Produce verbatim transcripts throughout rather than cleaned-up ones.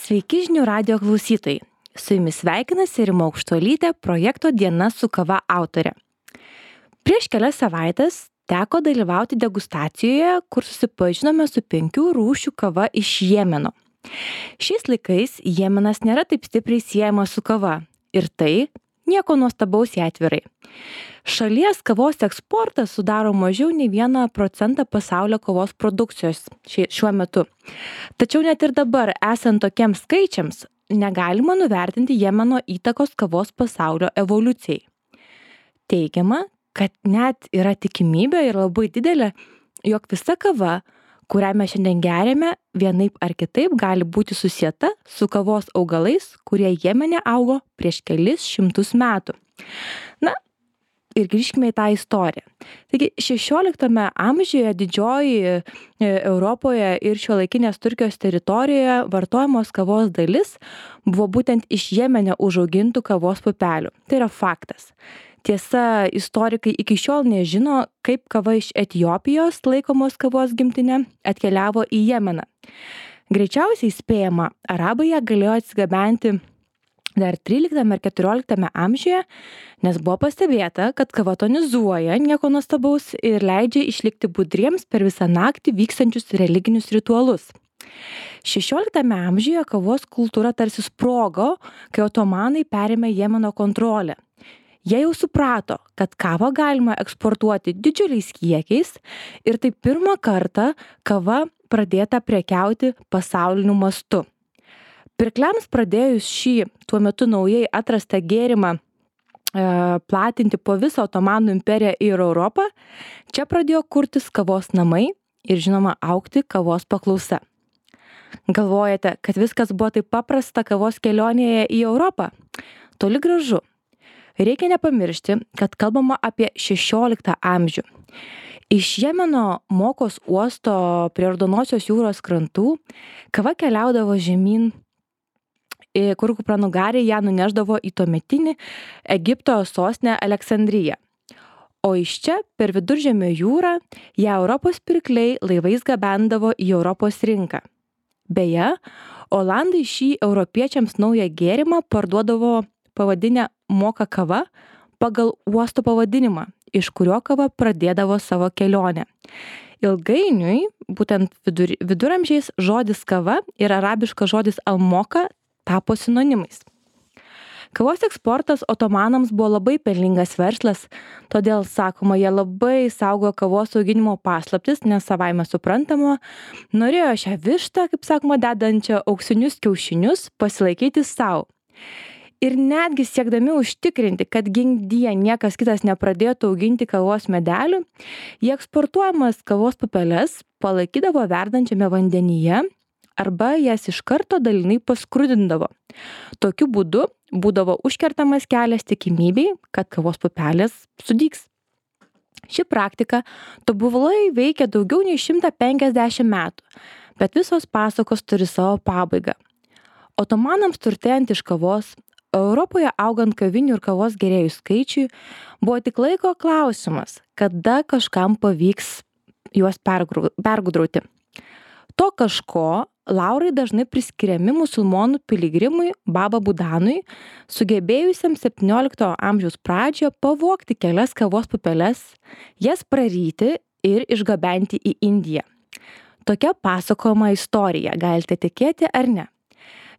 Sveiki žinių radijo klausytojai. Su jumis sveikinasi Rima Aukštuolytė, projekto Diena su kava autorė. Prieš kelias savaitės teko dalyvauti degustacijoje, kur susipažinome su penkių rūšių kava iš Jemeno. Šiais laikais Jemenas nėra taip stipriai siejamas su kava. Ir tai nieko nuostabaus jai atvirai. Šalies kavos eksportas sudaro mažiau nei vieną procentą pasaulio kavos produkcijos šiuo metu. Tačiau net ir dabar, esant tokiems skaičiams, negalima nuvertinti Jemeno įtakos kavos pasaulio evoliucijai. Teigiama, kad net yra tikimybė ir labai didelė, jog visa kava, kurią mes šiandien geriame, vienaip ar kitaip gali būti susieta su kavos augalais, kurie Jemene augo prieš kelis šimtus metų. Na, ir grįžkime į tą istoriją. Taigi, šešioliktame amžiuje didžioji Europoje ir šiuolaikinės Turkijos teritorijoje vartojamos kavos dalis buvo būtent iš Jemene užaugintų kavos pupelių. Tai yra faktas. Tiesa, istorikai iki šiol nežino, kaip kava iš Etiopijos laikomos kavos gimtinė atkeliavo į Jemeną. Greičiausiai spėjama, arabai ją galėjo atsigabenti dar tryliktame ir keturioliktame amžiuje, nes buvo pastebėta, kad kava tonizuoja, nieko nuostabaus, ir leidžia išlikti budriems per visą naktį vykstančius religinius ritualus. šešioliktame amžiuje kavos kultūra tarsi sprogo, kai otomanai perėmė Jemeno kontrolę. Jie jau suprato, kad kavą galima eksportuoti didžiuliais kiekiais ir tai pirmą kartą kava pradėta prekiauti pasauliniu mastu. Pirkliams pradėjus šį tuo metu naujai atrastą gėrimą e, platinti po visą Otomanų imperiją ir Europą, čia pradėjo kurtis kavos namai ir žinoma augti kavos paklausa. Galvojate, kad viskas buvo taip paprasta kavos kelionėje į Europą? Toli gražu. Reikia nepamiršti, kad kalbama apie šešioliktą amžių. Iš Jemeno Mokos uosto prie Raudonosios jūros krantų kava keliaudavo žemyn, kur kupranugarė ją nuneždavo į tuometinį Egipto sostinę Aleksandriją. O iš čia per Viduržemio jūrą ją Europos pirkliai laivais gabendavo į Europos rinką. Beje, olandai šį europiečiams naują gėrimą parduodavo pavadinę Moka kava pagal uosto pavadinimą, iš kurio kava pradėdavo savo kelionę. Ilgainiui, būtent vidur, viduramžiais, žodis kava ir arabiškas žodis almoka tapo sinonimais. Kavos eksportas otomanams buvo labai pelningas verslas, todėl, sakoma, jie labai saugo kavos auginimo paslaptis, nes savaime suprantama, norėjo šią vištą, kaip sakoma, dedančią auksinius kiaušinius pasilaikyti savo. Ir netgi siekdami užtikrinti, kad gink-die niekas kitas nepradėtų auginti kavos medelių, jie eksportuojamas kavos pupeles palaikydavo verdančiame vandenyje arba jas iš karto dalinai paskrudindavo. Tokiu būdu būdavo užkertamas kelias tikimybei, kad kavos pupelės sudygs. Ši praktika tobulai veikia daugiau nei šimtą penkiasdešimt metų, bet visos pasakos turi savo pabaigą. Otomanams turtėjant iš kavos, Europoje augant kavinių ir kavos gėrėjų skaičiui, buvo tik laiko klausimas, kada kažkam pavyks juos pergudrauti. To kažko laurai dažnai priskiriami musulmonų piligrimui Baba Budanui, sugebėjusiam septyniolikto amžiaus pradžioje pavogti kelias kavos pupeles, jas praryti ir išgabenti į Indiją. Tokia pasakojama istorija, galite tikėti ar ne.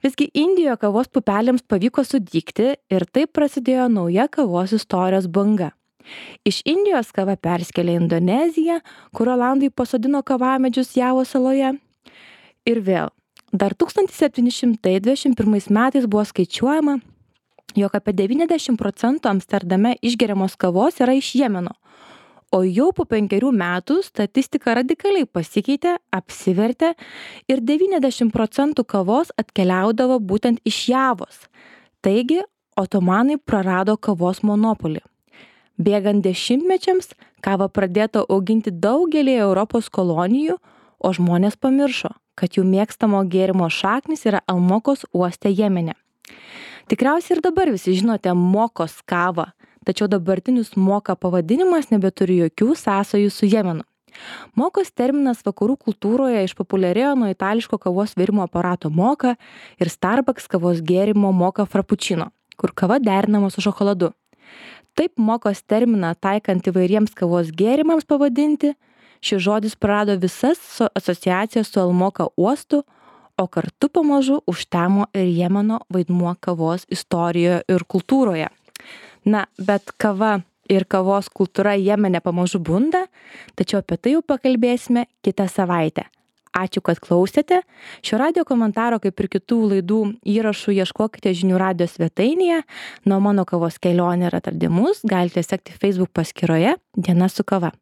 Visgi Indijoje kavos pupelėms pavyko sudygti ir taip prasidėjo nauja kavos istorijos banga. Iš Indijos kava perskėlė į Indoneziją, kur olandai pasodino kavamedžius Javos saloje. Ir vėl, dar tūkstantis septyni šimtai dvidešimt pirmais metais buvo skaičiuojama, jog apie devyniasdešimt procentų Amsterdame išgeriamos kavos yra iš Jemeno. O jau po penkerių metų statistika radikaliai pasikeitė, apsivertė ir devyniasdešimt procentų kavos atkeliaudavo būtent iš Javos. Taigi, otomanai prarado kavos monopolį. Bėgant dešimtmečiams, kavą pradėta auginti daugelį Europos kolonijų, o žmonės pamiršo, kad jų mėgstamo gėrimo šaknis yra Almokos uoste Jemene. Tikriausiai ir dabar visi žinote Mokos kavą, tačiau dabartinis Moka pavadinimas nebeturi jokių sąsajų su Jemenu. Mokos terminas vakarų kultūroje išpopuliarėjo nuo itališko kavos virimo aparato moka ir Starbucks kavos gėrimo moka frappuccino, kur kava derinama su šokoladu. Taip mokos terminą taikant įvairiems kavos gėrimams pavadinti, šis žodis prarado visas asociacijas su Almoka uostu, o kartu pamažu užtemo ir Jemeno vaidmuo kavos istorijoje ir kultūroje. Na, bet kava ir kavos kultūra Jemene pamažu bunda, tačiau apie tai jau pakalbėsime kitą savaitę. Ačiū, kad klausėte. Šio radijo komentaro, kaip ir kitų laidų įrašų, ieškokite žinių radijo svetainėje. Na, o mano kavos kelionę ir atradimus galite sekti Facebook paskyroje Diena su kava.